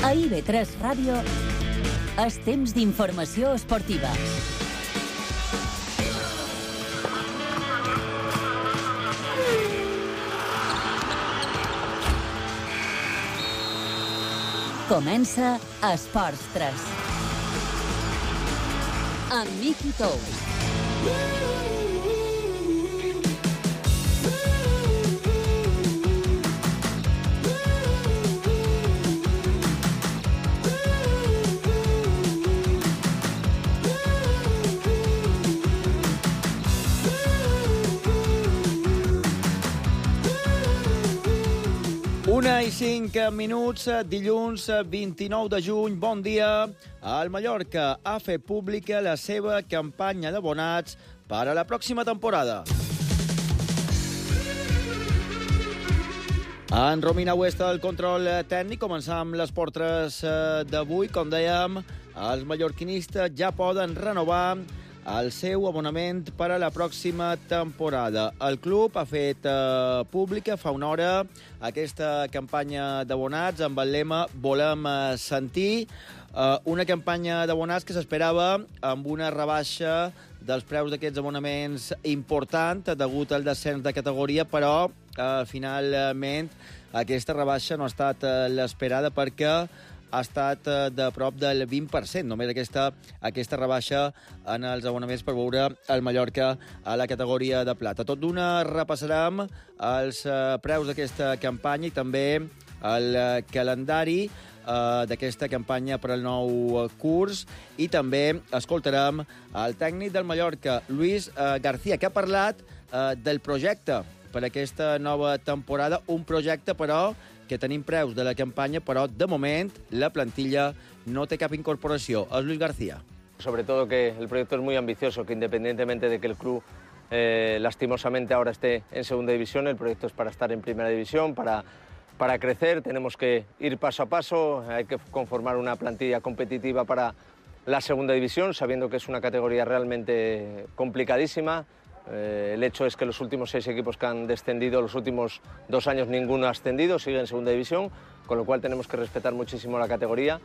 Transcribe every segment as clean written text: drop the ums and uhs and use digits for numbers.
A IB3 Ràdio és temps d'informació esportiva. Comença Esports 3. Amb Miqui Tous. Una i 5 minuts, dilluns 29 de juny. Bon dia. El Mallorca ha fet pública la seva campanya d'abonats per a la pròxima temporada. En Romina Huesta, el control tècnic. Començam amb les portres d'avui. Com dèiem, els mallorquinistes ja poden renovar el seu abonament per a la pròxima temporada. El club ha fet pública fa una hora aquesta campanya d'abonats amb el lema Volem sentir, una campanya d'abonats que s'esperava amb una rebaixa dels preus d'aquests abonaments important degut al descens de categoria, però finalment aquesta rebaixa no ha estat l'esperada perquè ha estat de prop del 20%, només aquesta rebaixa en els abonaments per veure el Mallorca a la categoria de plata. Tot d'una repassarem els preus d'aquesta campanya i també el calendari d'aquesta campanya per al nou curs, i també escoltarem el tècnic del Mallorca, Luis García, que ha parlat del projecte per aquesta nova temporada, un projecte, però, que tenim preus de la campanya, però de moment la plantilla no té cap incorporació. És Luis García. Sobre todo que el proyecto es muy ambicioso, que independientemente de que el club lastimosamente ahora esté en segunda división, el proyecto es para estar en primera división, para crecer. Tenemos que ir paso a paso, hay que conformar una plantilla competitiva para la segunda división, sabiendo que es una categoría realmente complicadísima. El hecho es que los últimos 6 equipos que han descendido, los últimos 2 años ninguno ha ascendido, sigue en segunda división, con lo cual tenemos que respetar muchísimo la categoría.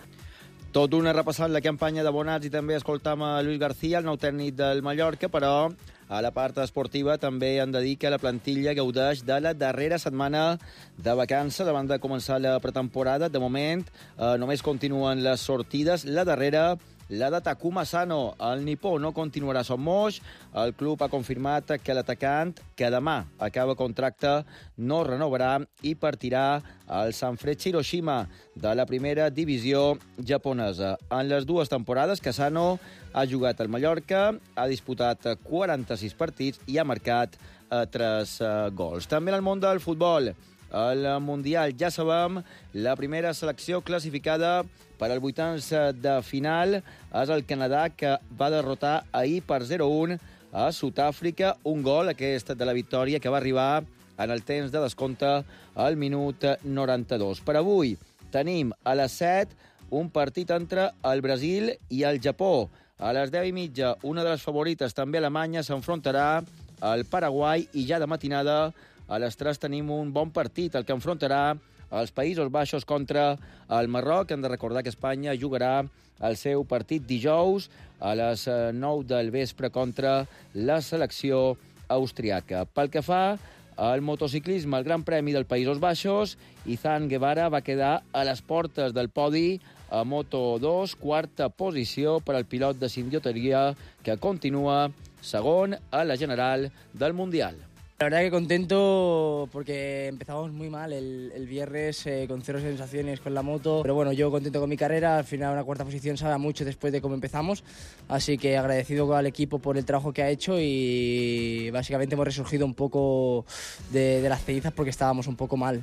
Tot una repassant la campanya d'abonats i també escoltam a Luis García, el nou tècnic del Mallorca, però a la part esportiva també han de dir que la plantilla gaudeix de la darrera setmana de vacances abans de començar la pretemporada. De moment només continuen les sortides. La darrera, la de Takuma Sano, el nipó, no continuarà a Son Moix. El club ha confirmat que l'atacant, que demà acaba contracte, no renovarà i partirà al Sanfrecce Hiroshima de la primera divisió japonesa. En les 2 temporades que Sano ha jugat al Mallorca, ha disputat 46 partits i ha marcat 3 gols. També en el món del futbol, el Mundial, ja sabem, la primera selecció classificada per al vuitens de final és el Canadà, que va derrotar ahir per 0-1 a Sud-àfrica. Un gol, aquest de la victòria, que va arribar en el temps de descompte al minut 92. Per avui tenim a les 7 un partit entre el Brasil i el Japó. A les 10:30, una de les favorites, també Alemanya, s'enfrontarà al Paraguai, i ja de matinada a les 3 tenim un bon partit, el que enfrontarà els Països Baixos contra el Marroc. Hem de recordar que Espanya jugarà el seu partit dijous a les 9 del vespre contra la selecció austriaca. Pel que fa al motociclisme, el Gran Premi dels Països Baixos, Izan Guevara va quedar a les portes del podi a Moto2, 4a posició per al pilot de Sindioteria, que continua segon a la general del Mundial. La verdad que contento porque empezamos muy mal el viernes con 0 sensaciones con la moto, pero bueno, yo contento con mi carrera. Al final una 4ª posición sabe mucho después de cómo empezamos, así que agradecido al equipo por el trabajo que ha hecho, y básicamente hemos resurgido un poco de las cenizas porque estábamos un poco mal.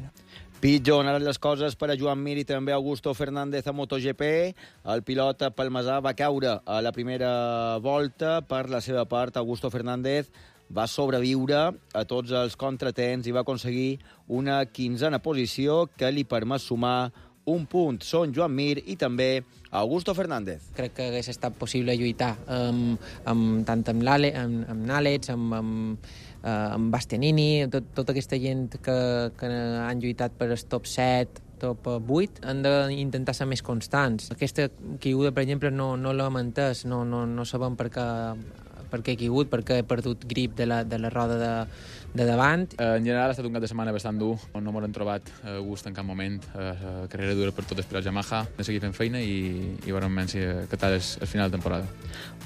Pitjor han anat les coses per a Joan Mir i també Augusto Fernández a MotoGP. El pilot palmesà va caure a la primera volta. Per la seva part, Augusto Fernández va sobreviure a tots els contratemps i va aconseguir una 15a posició que li permet sumar un punt. Són Joan Mir i també Augusto Fernández. Crec que hagués estat possible lluitar tant amb Nález, amb Bastianini, tota aquesta gent que han lluitat per el top 7, top 8, han d'intentar ser més constants. Aquesta caiguda, per exemple, no l'hem entès, no sabem per què he caigut, perquè he perdut grip de la roda de davant. En general ha estat un cap de setmana bastant dur, no m'han trobat gust en cap moment, carrera dura per totes per al Yamaha, de seguir fent feina i veurem si aquest és el final de temporada.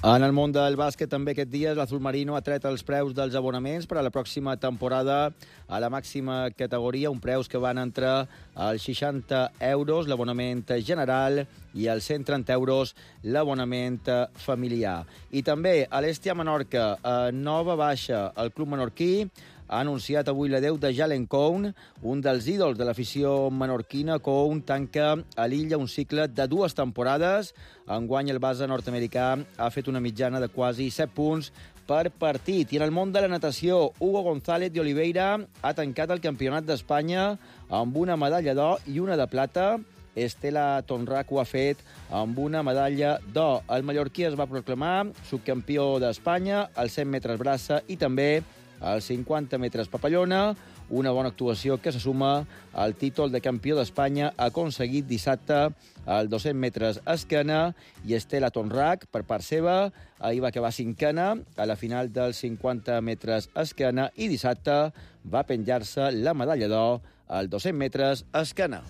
En el món del bàsquet també aquest dia l'Azul Marino ha tret els preus dels abonaments per a la pròxima temporada a la màxima categoria, un preus que van entre els 60 euros l'abonament general i els 130 euros l'abonament familiar. I també a l'Hèstia Menorca, nova baixa. El club menorquí ha anunciat avui l'adeu de Jalen Cone, un dels ídols de l'afició menorquina. Cone tanca a l'Illa un cicle de 2 temporades. Enguany el base nord-americà ha fet una mitjana de quasi 7 punts per partit. I en el món de la natació, Hugo González de Oliveira ha tancat el Campionat d'Espanya amb una medalla d'or i una de plata. Estela Tonrac ho ha fet amb una medalla d'or. El mallorquí es va proclamar subcampió d'Espanya als 100 metres braça i també als 50 metres papallona, una bona actuació que se suma al títol de campió d'Espanya aconseguit dissabte als 200 metres esquena, i Estela Tonrac, per part seva, ahir va acabar 5ena a la final dels 50 metres esquena i dissabte va penjar-se la medalla d'or als 200 metres esquena.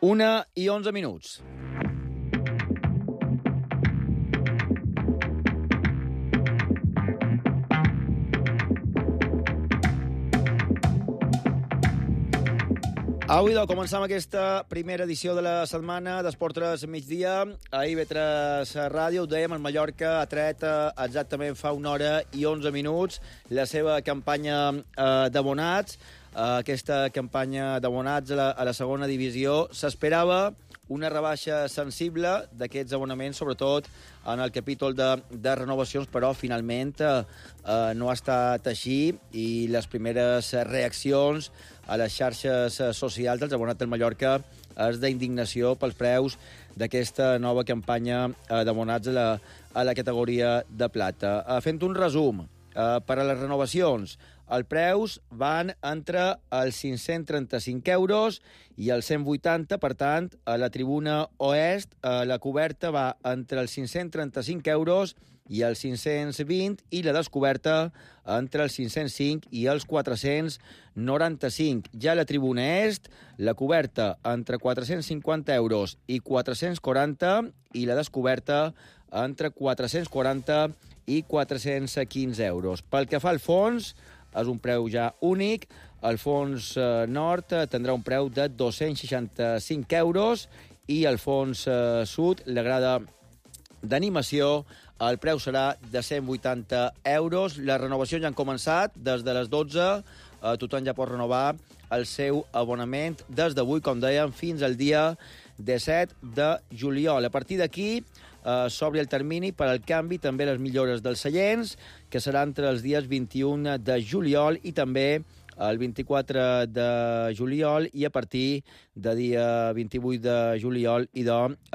Una i 11 minuts. Avui, començam aquesta primera edició de la setmana d'Esport 3 migdia. A IB3 Ràdio, ho dèiem, el Mallorca ha tret exactament fa 1 hora i 11 minuts la seva campanya d'abonats. Aquesta campanya d'abonats a la segona divisió s'esperava una rebaixa sensible d'aquests abonaments, sobretot en el capítol de renovacions, però finalment no ha estat així i les primeres reaccions a les xarxes socials dels abonats del Mallorca és d'indignació pels preus d'aquesta nova campanya d'abonats a la categoria de plata. Fent un resum, per a les renovacions, els preus van entre els 535 euros i els 180, per tant, a la tribuna oest la coberta va entre els 535 euros i els 520 i la descoberta entre els 505 i els 495. Ja a la tribuna est, la coberta entre 450 euros i 440 i la descoberta entre 440 i 415 euros. Pel que fa al fons, és un preu ja únic. El fons nord tindrà un preu de 265 euros i el fons sud, la grada d'animació, el preu serà de 180 euros. Les renovacions ja han començat. Des de les 12 tothom ja pot renovar el seu abonament des d'avui, com dèiem, fins al dia 17 de juliol. A partir d'aquí s'obre el termini per al canvi, també les millores dels seients, que serà entre els dies 21 de juliol i també el 24 de juliol, i a partir de dia 28 de juliol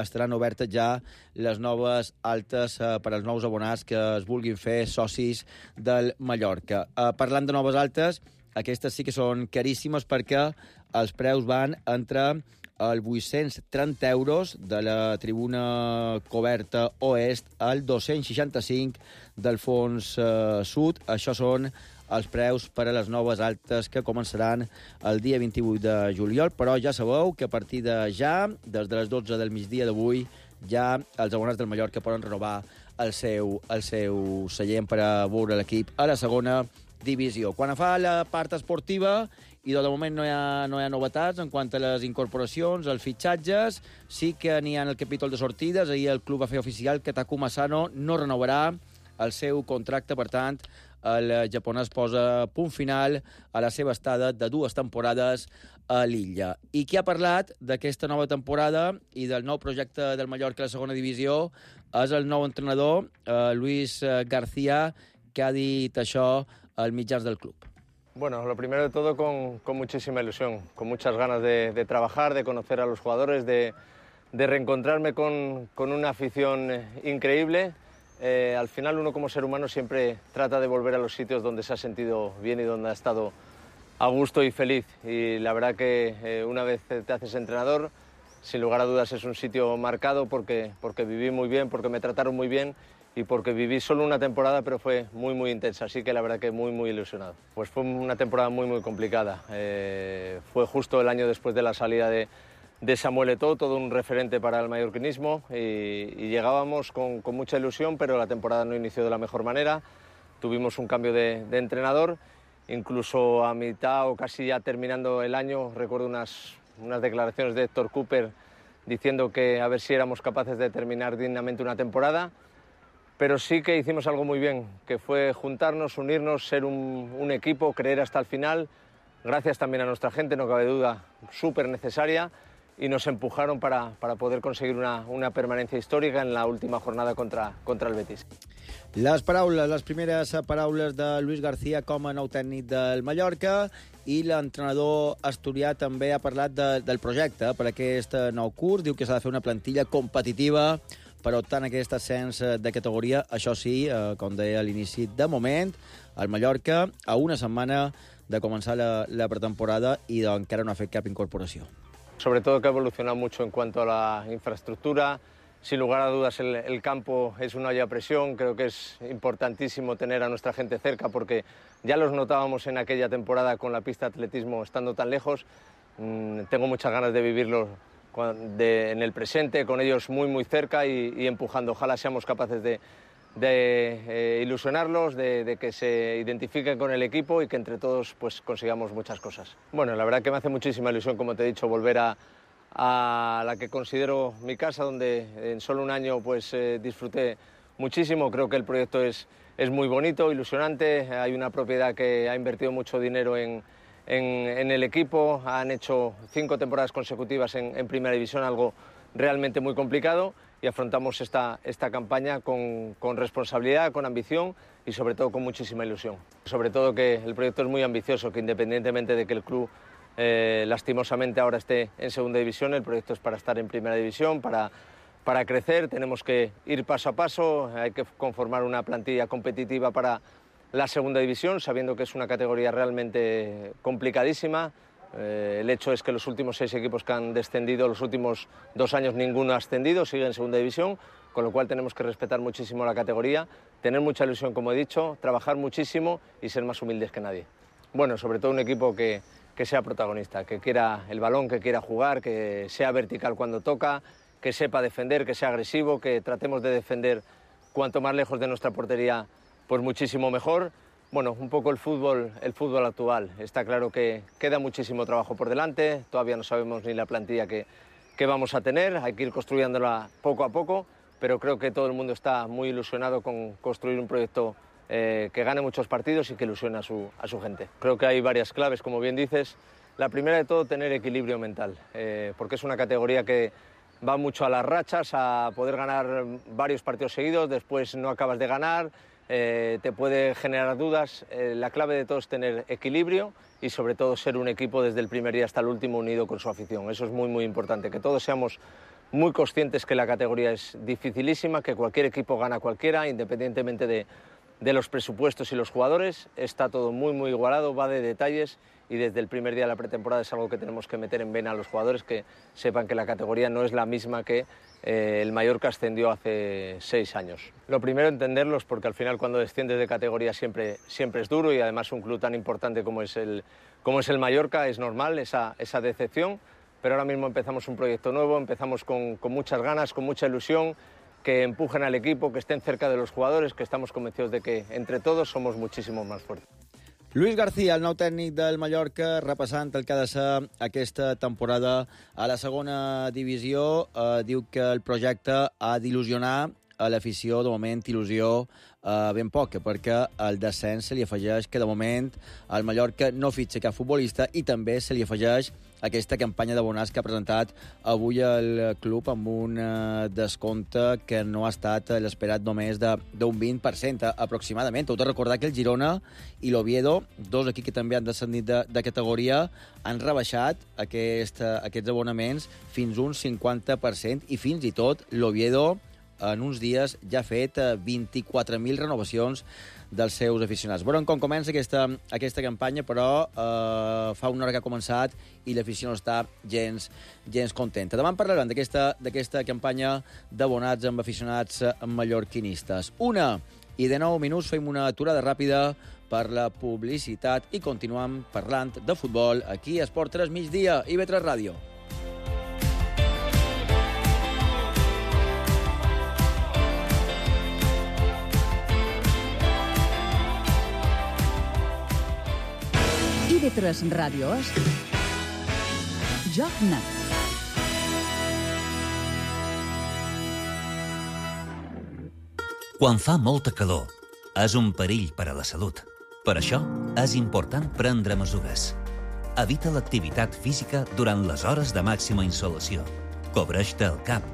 estaran obertes ja les noves altes per als nous abonats que es vulguin fer socis del Mallorca. Parlant de noves altes, aquestes sí que són caríssimes perquè els preus van entre els 830 euros de la tribuna coberta oest al 265 del fons sud. Això són els preus per a les noves altes que començaran el dia 28 de juliol, però ja sabeu que a partir de ja, des de les 12 del migdia d'avui, ja els abonats del Mallorca poden renovar el seu seient per a veure l'equip a la segona divisió. Quan fa la part esportiva, i de moment no hi ha novetats en quant a les incorporacions, els fitxatges, sí que n'hi ha en el capítol de sortides. Ahir el club va fer oficial que Takuma Asano no renovarà el seu contracte, per tant, el japonès posa punt final a la seva estada de 2 temporades a l'Illa. I qui ha parlat d'aquesta nova temporada i del nou projecte del Mallorca a la segona divisió és el nou entrenador, Luis García, que ha dit això als mitjans del club. Bueno, lo primero de todo con muchísima ilusión, con muchas ganas de trabajar, de conocer a los jugadores, de reencontrarme con una afición increíble. Al final uno como ser humano siempre trata de volver a los sitios donde se ha sentido bien y donde ha estado a gusto y feliz. Y la verdad que una vez te haces entrenador, sin lugar a dudas es un sitio marcado porque viví muy bien, porque me trataron muy bien y porque viví solo una temporada, pero fue muy intensa, así que la verdad que muy ilusionado. Pues fue una temporada muy complicada. Fue justo el año después de la salida de Samuel Eto'o, todo un referente para el mallorquinismo, y llegábamos con mucha ilusión, pero la temporada no inició de la mejor manera. Tuvimos un cambio de entrenador, incluso a mitad o casi ya terminando el año, recuerdo unas declaraciones de Héctor Cooper diciendo que a ver si éramos capaces de terminar dignamente una temporada, pero sí que hicimos algo muy bien, que fue juntarnos, unirnos, ser un equipo, creer hasta el final, gracias también a nuestra gente, no cabe duda, súper necesaria, y nos empujaron para poder conseguir una permanencia histórica en la última jornada contra el Betis. Les primeres paraules de Luis García com a nou tècnic del Mallorca, i l'entrenador asturià també ha parlat del projecte per aquest nou curs. Diu que s'ha de fer una plantilla competitiva per optar en aquest ascens de categoria. Això sí, com deia a l'inici, de moment, el Mallorca a una setmana de començar la pretemporada i encara no ha fet cap incorporació. Sobre todo que ha evolucionado mucho en cuanto a la infraestructura. Sin lugar a dudas el campo es una olla a presión, creo que es importantísimo tener a nuestra gente cerca porque ya los notábamos en aquella temporada con la pista de atletismo estando tan lejos. Tengo muchas ganas de vivirlo en el presente, con ellos muy cerca y empujando. Ojalá seamos capaces de ilusionarlos, de que se identifiquen con el equipo y que entre todos pues consigamos muchas cosas. Bueno, la verdad que me hace muchísima ilusión, como te he dicho, volver a la que considero mi casa, donde en solo un año pues disfruté muchísimo. Creo que el proyecto es muy bonito, ilusionante. Hay una propiedad que ha invertido mucho dinero en el equipo. Han hecho 5 temporadas consecutivas en Primera División, algo realmente muy complicado, y afrontamos esta campaña con responsabilidad, con ambición y sobre todo con muchísima ilusión. Sobre todo que el proyecto es muy ambicioso, que independientemente de que el club lastimosamente ahora esté en Segunda División, el proyecto es para estar en Primera División, para crecer. Tenemos que ir paso a paso, hay que conformar una plantilla competitiva para la Segunda División, sabiendo que es una categoría realmente complicadísima. El hecho es que los últimos 6 equipos que han descendido, los últimos 2 años ninguno ha ascendido, sigue en Segunda División, con lo cual tenemos que respetar muchísimo la categoría, tener mucha ilusión, como he dicho, trabajar muchísimo y ser más humildes que nadie. Bueno, sobre todo un equipo que sea protagonista, que quiera el balón, que quiera jugar, que sea vertical cuando toca, que sepa defender, que sea agresivo, que tratemos de defender cuanto más lejos de nuestra portería, pues muchísimo mejor. Bueno, un poco el fútbol actual. Está claro que queda muchísimo trabajo por delante, todavía no sabemos ni la plantilla que vamos a tener, hay que ir construyéndola poco a poco, pero creo que todo el mundo está muy ilusionado con construir un proyecto que gane muchos partidos y que ilusione a su gente. Creo que hay varias claves, como bien dices. La primera de todo, tener equilibrio mental, porque es una categoría que va mucho a las rachas, a poder ganar varios partidos seguidos, después no acabas de ganar, te puede generar dudas. La clave de todo es tener equilibrio y sobre todo ser un equipo desde el primer día hasta el último unido con su afición. Eso es muy importante, que todos seamos muy conscientes que la categoría es dificilísima, que cualquier equipo gana a cualquiera, independientemente de los presupuestos y los jugadores. Está todo muy igualado, va de detalles, y desde el primer día de la pretemporada es algo que tenemos que meter en vena a los jugadores, que sepan que la categoría no es la misma que el Mallorca ascendió hace 6 años. Lo primero, entenderlos, porque al final cuando desciendes de categoría siempre es duro, y además un club tan importante como es el Mallorca, es normal esa decepción, pero ahora mismo empezamos un proyecto nuevo, empezamos con muchas ganas, con mucha ilusión, que empujen al equipo, que estén cerca de los jugadores, que estamos convencidos de que entre todos somos muchísimo más fuertes. Luis García, el nou tècnic del Mallorca, repassant el que ha de ser aquesta temporada a la segona divisió. Diu que el projecte ha d'il·lusionar a l'afició. De moment, il·lusió ben poca, perquè al descens se li afegeix que de moment el Mallorca no fitxa cap futbolista, i també se li afegeix aquesta campanya d'abonats que ha presentat avui el club amb un descompte que no ha estat l'esperat, només d'un 20% aproximadament. Heu de recordar que el Girona i l'Oviedo, 2 equips que també han descendit de categoria, han rebaixat aquests abonaments fins un 50%, i fins i tot l'Oviedo en uns dies ja ha fet 24.000 renovacions dels seus aficionats. Veurem com comença aquesta campanya, però fa una hora que ha començat i l'afició no està gens contenta. Demà en parlarem d'aquesta campanya d'abonats amb aficionats mallorquinistes. 1:09 minuts, fem una aturada ràpida per la publicitat i continuem parlant de futbol aquí a Esport 3 migdia, IB3 Ràdio. IB3 Ràdio és Joc Net. Quan fa molta calor, és un perill per a la salut. Per això, és important prendre mesures. Evita l'activitat física durant les hores de màxima insolació. Cobreix-te el cap,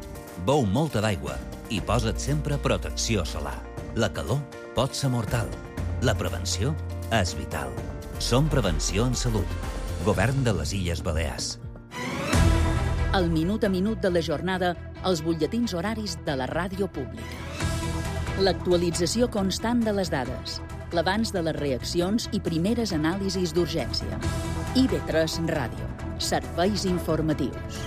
beu molta d'aigua i posa't sempre protecció solar. La calor pot ser mortal. La prevenció és vital. Som Prevenció en Salut. Govern de les Illes Balears. El minut a minut de la jornada, els butlletins horaris de la ràdio pública. L'actualització constant de les dades, l'abans de les reaccions i primeres anàlisis d'urgència. IB3 Ràdio. Serveis informatius.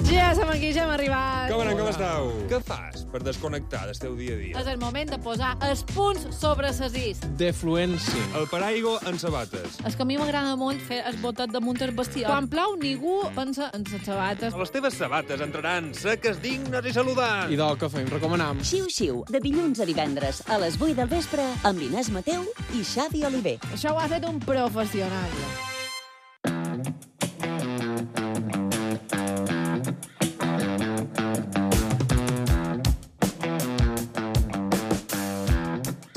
Ja som aquí, ja hem arribat. Com esteu? Què fas per desconnectar del teu dia a dia? És el moment de posar els punts sobre ses is. Defluència. El paraigua en sabates. És que a mi m'agrada molt fer el botet damunt el vestidor. Quan plou, ningú pensa en les sabates. Les teves sabates entraran seques, dignes i saludants. I del que fem, recomanam. Xiu-xiu, de dilluns a divendres a les 8 del vespre amb Inés Mateu i Xavi Oliver. Això ho ha fet un professional.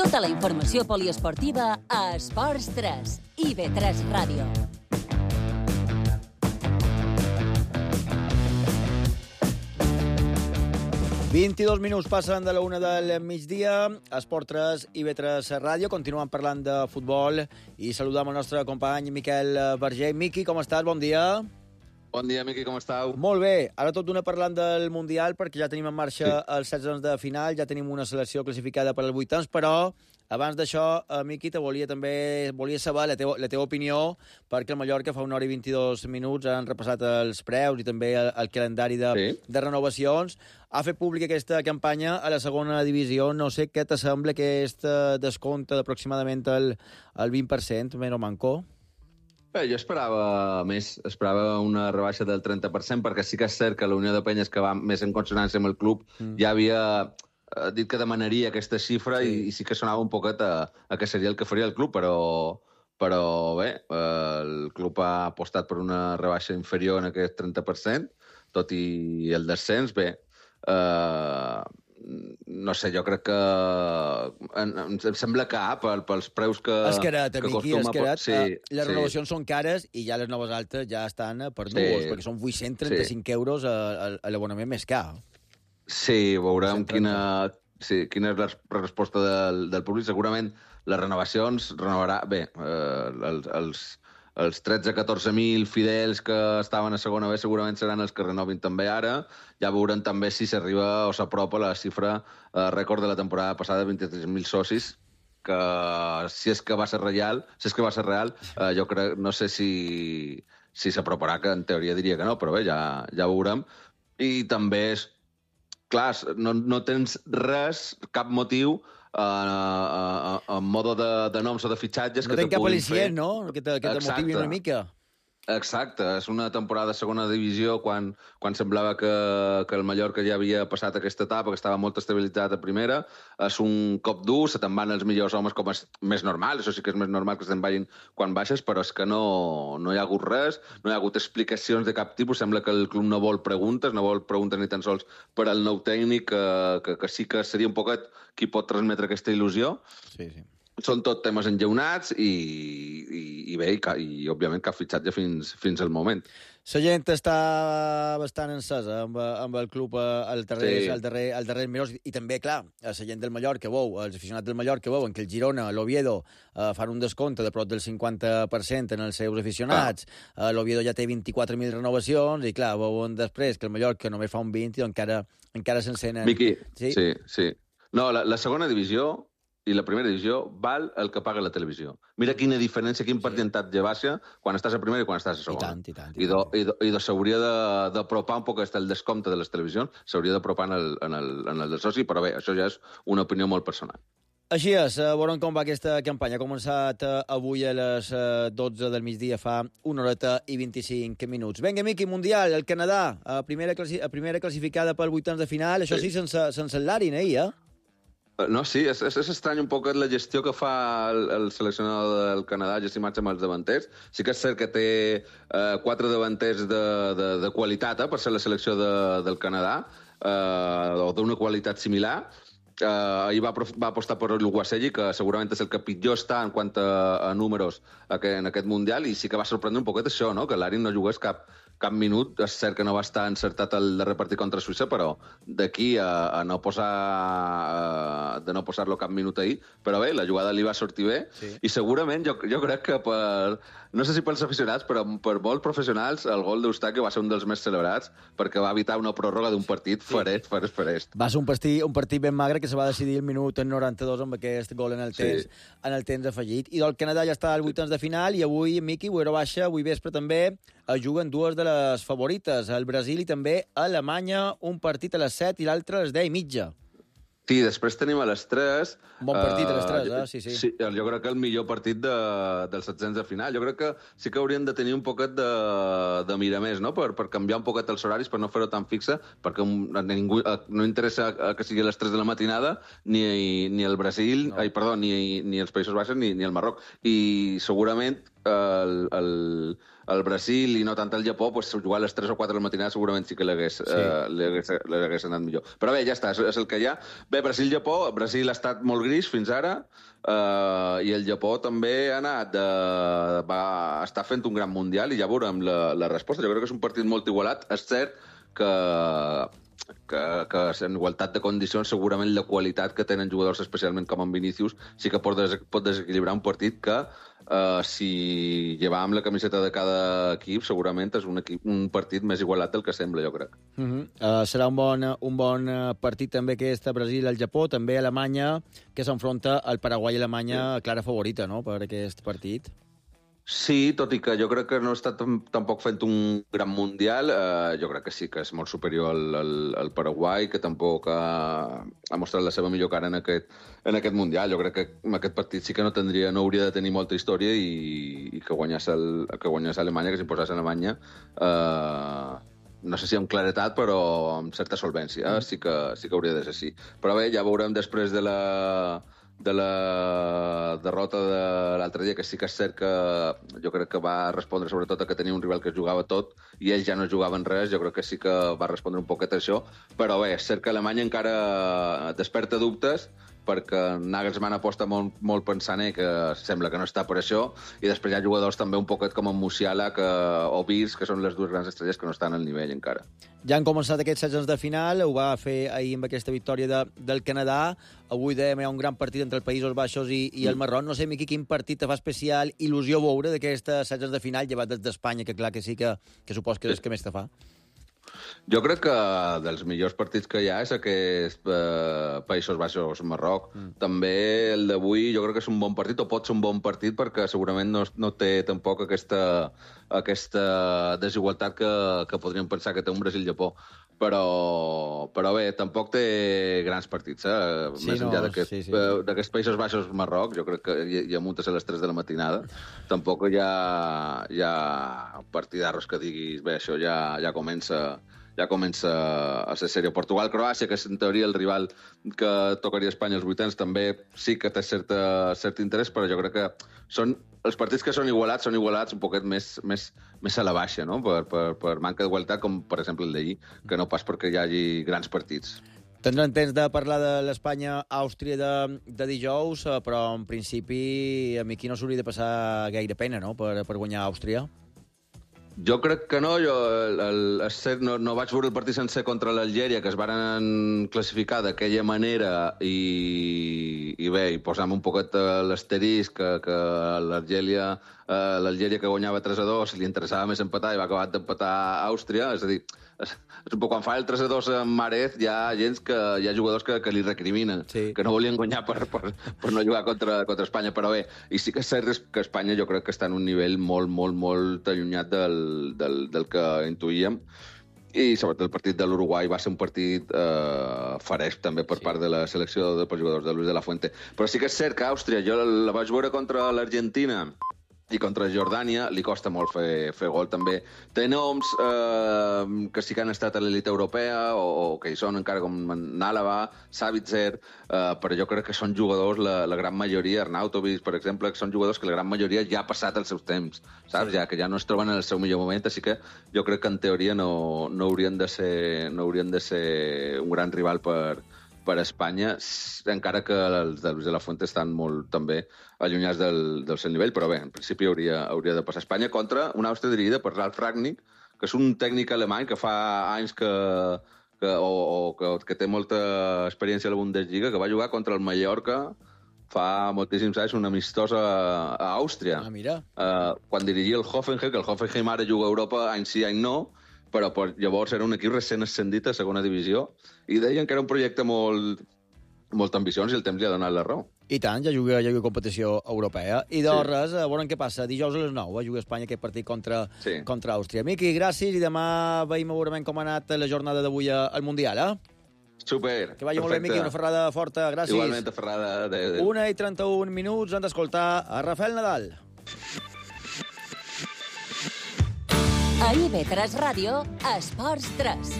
Tota la informació poliesportiva a Esports 3, IB3 Ràdio. «22 minuts passen de la 1 del migdia, Esport 3, IB3 Ràdio». Continuem parlant de futbol i saludam el nostre company Miquel Verger. Miqui, com estàs? Bon dia. Bon dia, Miqui, com estàu? Molt bé. Ara tot d'una parlant del Mundial, perquè ja tenim en marxa els 16 de final, ja tenim una selecció classificada per als 8 però abans d'això, Miqui, volia saber la teva opinió, perquè el Mallorca fa 1 hora i 22 minuts han repassat els preus i també el calendari de renovacions. Ha fet pública aquesta campanya a la segona divisió. No sé què t'assembla aquest descompte d'aproximadament el 20%, menys o manco? Bé, jo esperava més, esperava una rebaixa del 30%, perquè sí que és cert que la Unió de Penyes, que va més en consonància amb el club, ja havia dit que demanaria aquesta xifra i sí que sonava un poquet a que seria el que faria el club, però bé, el club ha apostat per una rebaixa inferior en aquest 30%, tot i el descens, bé, no sé, jo crec que em sembla car pels preus que acostuma... Les renovacions són cares i ja les noves altes ja estan per núvols, perquè són 835 euros a l'abonament més car. Sí, veurem quina és la resposta del públic. Segurament les renovacions renovarà... Bé, els 13-14.000 fidels que estaven a segona B segurament seran els que renovin també ara. Ja veurem també si s'arriba o s'apropa la xifra rècord de la temporada passada, 23.000 socis, que si és que va ser real, jo crec, no sé si s'aproparà, que en teoria diria que no, però bé, ja veurem. I també és clar, no tens res, cap motiu en modo de noms o de fitxatges que te puguin fer. No tens cap al·licient, no? Que te motivi una mica. Exacte, és una temporada de segona divisió quan semblava que el Mallorca ja havia passat aquesta etapa, que estava molt estabilitzat a primera. És un cop dur, se te'n van els millors homes, com és més normal, això sí que és més normal que se'n vagin quan baixes, però és que no hi ha hagut res, no hi ha hagut explicacions de cap tipus. Sembla que el club no vol preguntes ni tan sols per al nou tècnic, que sí que seria un poquet qui pot transmetre aquesta il·lusió. Sí. Són tot temes enllaunats i bé, i òbviament cap fitxatge fins al moment. La gent està bastant encesa amb el club als darrers mesos i també, clar, la gent del Mallorca els aficionats del Mallorca veuen que el Girona, l'Oviedo, fan un descompte de prop del 50% en els seus aficionats. L'Oviedo ja té 24.000 renovacions i, clar, veuen després que el Mallorca només fa un 20 i encara s'encenen. Miqui, sí. No, la segona divisió i la primera divisió val el que paga la televisió. Mira quina diferència, quin percentatge baixa quan estàs a primera i quan estàs a segona. I tant. I s'hauria d'apropar un poc el descompte de les televisions, s'hauria d'apropar en el del soci, però bé, això ja és una opinió molt personal. Així és, veurem com va aquesta campanya. Ha començat avui a les 12 del migdia, fa 1 horeta i 25 minuts. Vinga, Miqui, Mundial, el Canadà, primera classificada pel vuitens de final, això sí, sense el Larin, ahir, No, sí, és estrany un poc la gestió que fa el seleccionador del Canadà, gestionat amb els davanters. Sí que és cert que té 4 davanters de qualitat per ser la selecció del Canadà, o d'una qualitat similar. Ahir va apostar per l'Uguaselli, que segurament és el que pitjor està en quant a números en aquest Mundial, i sí que va sorprendre un poquet això, no? Que l'Arin no jugués cap minut. És cert que no va estar encertat el darrer partit contra Suïssa, però d'aquí a no posar-lo cap minut ahir. Però bé, la jugada li va sortir bé, i segurament jo crec que no sé si pels aficionats, però per molts professionals, el gol d'Eustaqui va ser un dels més celebrats, perquè va evitar una pròrroga d'un partit farest. Va ser un partit ben magre que se va decidir el minut en 92 amb aquest gol en el temps afegit. I del Canadà ja està al vuitens de final, i avui, Miqui, avui vespre també juguen dues de les favorites, el Brasil i també Alemanya, un partit a les 7 i l'altre a les 10:30. Sí, després tenim a les 3... Un bon partit a les 3, sí. Sí, jo crec que el millor partit dels setzents de final. Jo crec que sí que haurien de tenir un poquet de mirar més, no? Per canviar un poquet els horaris, per no fer-ho tan fixa, perquè a ningú no interessa que sigui a les 3 de la matinada ni el Brasil, ni els Països Baixos ni el Marroc. I segurament el Brasil i no tant el Japó, jugar a les 3 o 4 de la matinada segurament sí que l'hagués anat millor. Però bé, ja està, és el que hi ha. Bé, Brasil-Japó, Brasil ha estat molt gris fins ara, i el Japó també està fent un gran mundial, i ja veurem la resposta. Jo crec que és un partit molt igualat. És cert que en igualtat de condicions segurament la qualitat que tenen jugadors, especialment com en Vinícius, sí que pot desequilibrar un partit que si llevàvem la camiseta de cada equip segurament és un partit més igualat del que sembla, jo crec. Serà un bon partit també aquest Brasil al Japó, també Alemanya, que s'enfronta al Paraguai i Alemanya, clara favorita, no?, per aquest partit. Sí, tot i que jo crec que no està tampoc fent un gran mundial. Jo crec que sí que és molt superior al Paraguai, que tampoc ha mostrat la seva millor cara en aquest mundial. Jo crec que en aquest partit sí que no hauria de tenir molta història, i que guanyés Alemanya, que s'imposés Alemanya, no sé si amb claretat, però amb certa solvència. Sí que hauria de ser així. Però bé, ja veurem després de la derrota de l'altre dia, que sí que és cert que jo crec que va respondre sobretot a que tenia un rival que jugava tot i ells ja no jugaven res. Jo crec que sí que va respondre un poquet a això, però bé, és cert que Alemanya encara desperta dubtes, perquè Nagelsmann aposta molt pensant que sembla que no està per això, i després hi ha jugadors també un poquet com en Musiala o Virs, que són les dues grans estrelles que no estan al nivell encara. Ja han començat aquests setzents de final, ho va fer ahir amb aquesta victòria del Canadà. Avui dèiem, hi ha un gran partit entre els Països Baixos i el Marroc. No sé, Miqui, quin partit te fa especial il·lusió veure d'aquestes setzents de final, llevat des d'Espanya, que clar que sí que supos que és el que més te fa. Jo crec que dels millors partits que hi ha és aquest Països Baixos-Marroc. També el d'avui jo crec que és un bon partit, o pot ser un bon partit, perquè segurament no té tampoc aquesta desigualtat que podríem pensar que té un Brasil-Japó. Però bé, tampoc té grans partits, més enllà d'aquests Països Baixos-Marroc. Jo crec que hi ha muntes a les 3 de la matinada. Tampoc hi ha partidarros que diguis, bé, això ja comença a ser sèrio. Portugal-Croàcia, que és en teoria el rival que tocaria a Espanya als vuitens, també sí que té cert interès, però jo crec que els partits que són igualats un poquet més a la baixa, no? Per manca d'igualtat, com per exemple el d'ahir, que no pas perquè hi hagi grans partits. Tindrem temps de parlar de l'Espanya-Àustria de dijous, però en principi a mi aquí no s'hauria de passar gaire pena, no?, per guanyar Àustria. Jo crec que no. No vaig veure el partit sencer contra l'Algèria, que es varen classificar d'aquella manera, i bé, i posam un poquet l'asterisc que l'Algèria que guanyava 3-2 li interessava més empatar i va acabar d'empatar a Àustria. És a dir, quan fa el 3-2 en Mahrez hi ha jugadors que li recriminen, que no volien guanyar per no jugar contra Espanya, però bé, i sí que és cert que Espanya jo crec que està en un nivell molt, molt, molt allunyat del que intuïem, i sobretot el partit de l'Uruguai va ser un partit fresc també per part de la selecció de jugadors de Luis de la Fuente. Però sí que és cert que Àustria, jo la vaig veure contra l'Argentina i contra Jordània, li costa molt fer gol també. Té noms que sí que han estat a l'elit europea o que hi són encara, com Nálava, Savitzer, però jo crec que són jugadors, la gran majoria, Arnautovic, per exemple, que són jugadors que la gran majoria ja ha passat els seus temps, saps? Ja que ja no es troben en el seu millor moment, així que jo crec que en teoria no haurien de ser un gran rival per Espanya, encara que els de Luis de la Fuente estan molt també allunyats del seu nivell, però bé, en principi hauria de passar Espanya contra una Àustria dirigida per Ralf Rangnick, que és un tècnic alemany que fa anys que té molta experiència a la Bundesliga, que va jugar contra el Mallorca fa moltíssims anys, una amistosa a Àustria. Mira. Quan dirigia el Hoffenheim, que el Hoffenheim ara juga a Europa any sí, any no, però llavors era un equip recent ascendit a segona divisió, i deien que era un projecte molt, molt ambiciós i el temps li ha donat la raó. I tant, ja juga competició europea. I de res, a veure què passa. Dijous a les 9 juga Espanya aquest partit contra Àustria. Miqui, gràcies, i demà veiem veurem com ha anat la jornada d'avui al Mundial, Super. Que vagi molt bé, Miqui, una ferrada forta. Gràcies. Igualment, ferrada. 1:31 minuts, han d'escoltar a Rafael Nadal. A IB3 Ràdio, Esports 3.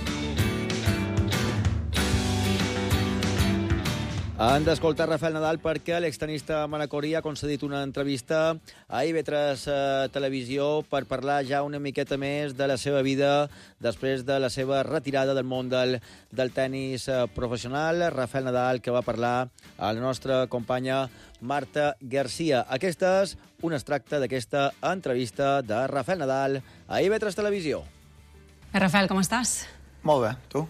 Han d'escoltar Rafael Nadal perquè l'extenista manacorí ha concedit una entrevista a IB3 Televisió per parlar ja una miqueta més de la seva vida després de la seva retirada del món del tennis professional. Rafael Nadal, que va parlar a la nostra companya Marta Garcia. Aquesta és un extracte d'aquesta entrevista de Rafael Nadal a IB3 Televisió. Rafael, com estàs? Molt bé, tu?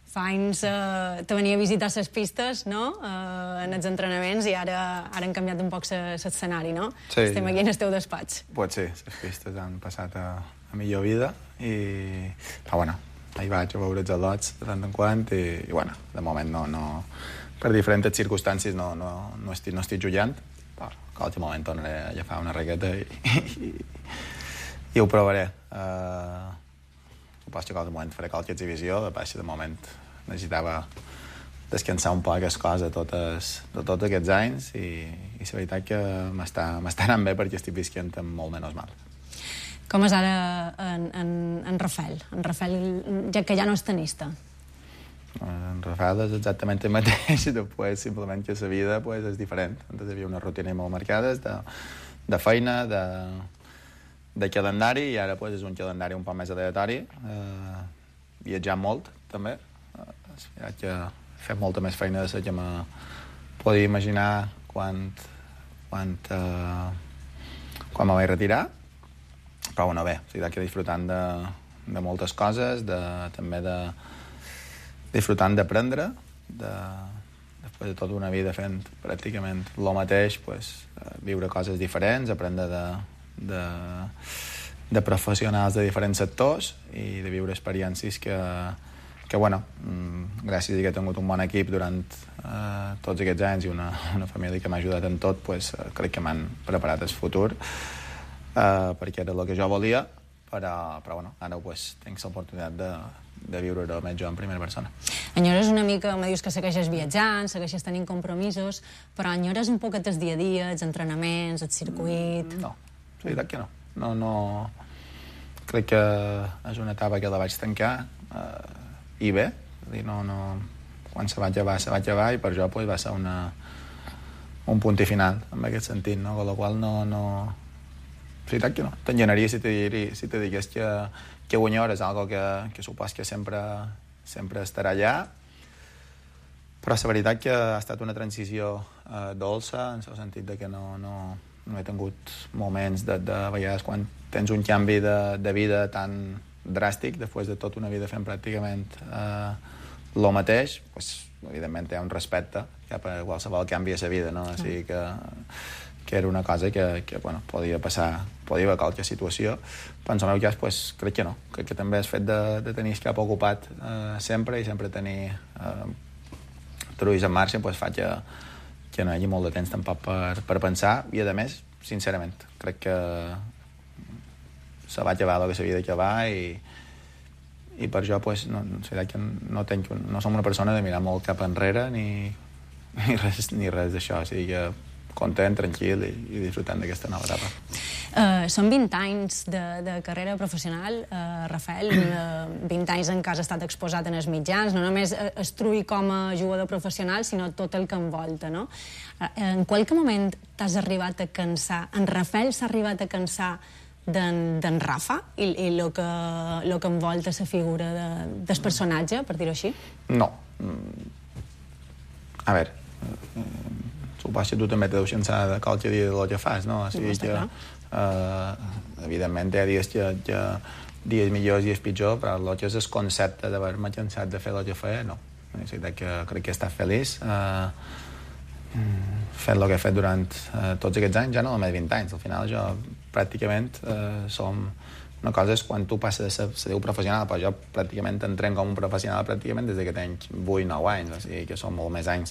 Fa anys te venia a visitar les pistes, no?, en els entrenaments, i ara han canviat un poc l'escenari, no? Sí. Estem aquí en el teu despatx. Pues sí, les pistes han passat a millor vida, però bueno, ahir vaig a veure els al·lots de tant en quant, i bueno, de moment no per diferents circumstàncies no estic jugant, però a qualsevol moment tornaré a agafar una raqueta i ho provaré. Suposo que a qualsevol moment faré qualque exhibició, de moment necessitava descansar un poc les coses de tots aquests anys, i la veritat que m'està anant bé perquè estic visquent amb molt menys mal. Com és ara en Rafael? En Rafael, ja que ja no és tenista. En Rafael és exactament el mateix, després simplement que la vida és diferent. Antes hi havia unes rutines molt marcades de feina, de calendari, i ara és un calendari un poc més aleatori. Viatjant molt, també. He fet molta més feina de la que me podia imaginar quan me vaig retirar. Però bueno, bé, que disfrutant de moltes coses, també disfrutant d'aprendre, després de tota una vida fent pràcticament el mateix, viure coses diferents, aprendre de professionals de diferents sectors i de viure experiències que bueno, gràcies a que he tingut un bon equip durant tots aquests anys i una família que m'ha ajudat en tot, crec que m'han preparat el futur, perquè era el que jo volia, però bueno, ara tinc l'oportunitat de viure-ho més jo en primera persona. Enyores una mica, me dius que segueixes viatjant, segueixes tenint compromisos, però enyores un poquet el dia a dia, els entrenaments, el circuit... No, la veritat que no. No, crec que és una etapa que la vaig tancar i bé, quan se va acabar, i per jo va ser un punt i final en aquest sentit, no? Con la qual no... La veritat que no. T'engenaria si te digués que guanyar és algo que supos que sempre estarà allà, però la veritat que ha estat una transició dolça, en el sentit que no no he tingut moments de vegades quan tens un canvi de vida tan dràstic, després de tota una vida fent pràcticament el mateix, pues, evidentment hi ha un respecte cap a qualsevol canvi a la vida, no? Així que era una cosa que bueno, podia passar, podia haver qualque situació, però en el meu cas pues, crec que no, crec que també el fet de tenir el cap ocupat sempre i sempre tenir truis en marxa pues, fa que no hi hagi molt de temps tampoc per pensar, i a més, sincerament, crec que se va acabar el que s'havia d'acabar i per això pues, no som una persona de mirar molt cap enrere ni res d'això, o sigui que content, tranquil i disfrutant d'aquesta nova etapa. Són 20 anys de carrera professional, Rafael, 20 anys en què has estat exposat en els mitjans, no només Estruy com a jugador professional, sinó tot el que envolta, no? En qualque moment t'has arribat a cansar, en Rafael s'ha arribat a cansar d'en Rafa i el que envolta la figura del personatge, per dir-ho així? No. A veure, suposo que tu també te deus cansar de qualque dia del que fas, no? O sigui que, evidentment, hi ha dies dies millors i dies pitjors, però el que és el concepte d'haver-me cansat de fer el que feia, no. És veritat que crec que he estat feliç fent el que he fet durant tots aquests anys, ja no només 20 anys. Al final jo pràcticament som... Una cosa és quan tu passes a ser professional, però jo pràcticament entrem com un professional pràcticament des que tenc 8-9 anys, o sigui que són molt més anys.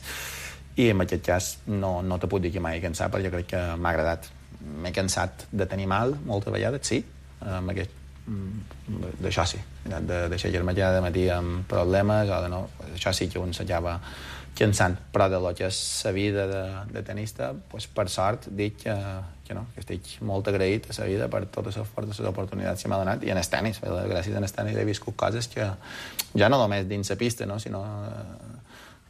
I en aquest cas no te puc dir que m'he cansat, perquè crec que m'ha agradat. M'he cansat de tenir mal moltes vegades, sí, d'això sí, de deixar-me cada matí amb problemes, o de no, això sí que un s'acaba cansant, però de lo que és la vida de tenista, pues, per sort dic que estic molt agraït a la vida per totes les oportunitats que m'ha donat, i en el tenis, gràcies al tenis he viscut coses que ja no només dins la pista, no, sinó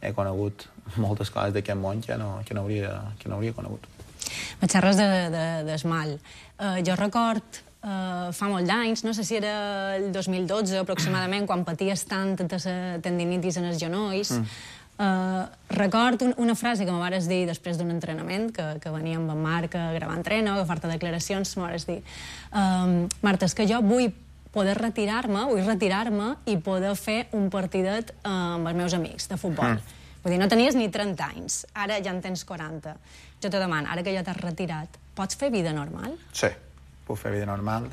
he conegut moltes coses d'aquest món que no hauria conegut. Me xerres d'esmal. Jo record fa molt d'anys, no sé si era el 2012 aproximadament, quan paties tant de la tendinitis en els genolls, record una frase que me vares dir després d'un entrenament, que venia amb en Marc a gravar entreno, a agafar-te declaracions, me vares dir Marta, és que jo vull poder retirar-me i poder fer un partidet amb els meus amics de futbol. Vull dir, no tenies ni 30 anys, ara ja en tens 40. Jo te demano, ara que ja t'has retirat, pots fer vida normal? Sí, puc fer vida normal.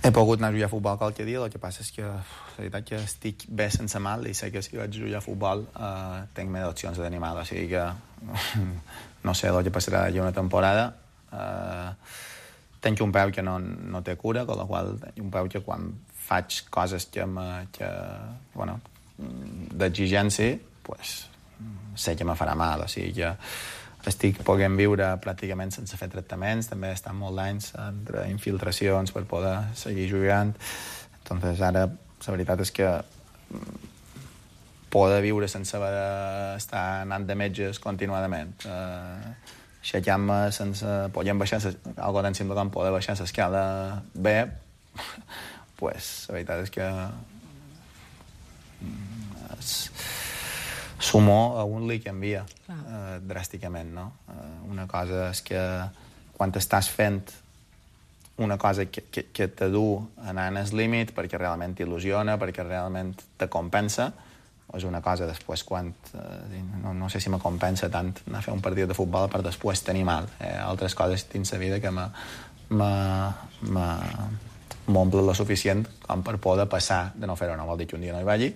He pogut anar a jugar a futbol qualque dia, el que passa és que la veritat que estic bé sense mal i sé que si vaig jugar a futbol tinc més opcions de tenir mal, o sigui que no sé el que passarà d'aquí una temporada. Tenc un peu que no té cura, amb la qual cosa un peu que quan faig coses d'exigència, sé que me farà mal, o sigui que estic podent viure pràcticament sense fer tractaments, també estan molts anys entre infiltracions per poder seguir jugant. Entonces ara la veritat és que poder viure sense haver d'estar anant de metges continuadament, aixecar-me sense... podem baixar algo tan simple com poder baixar l'escala bé, pues la veritat és que sumo a un li canvia dràsticament, no? Una cosa és que quan estàs fent una cosa que te du anar en el límit perquè realment t'il·lusiona, perquè realment te compensa, és una cosa després quan... no sé si me compensa tant anar a fer un partit de futbol per després tenir mal. Altres coses dins la vida que m'omplen lo suficient com per poder passar de no fer-ho. No vol dir que un dia no hi vagi,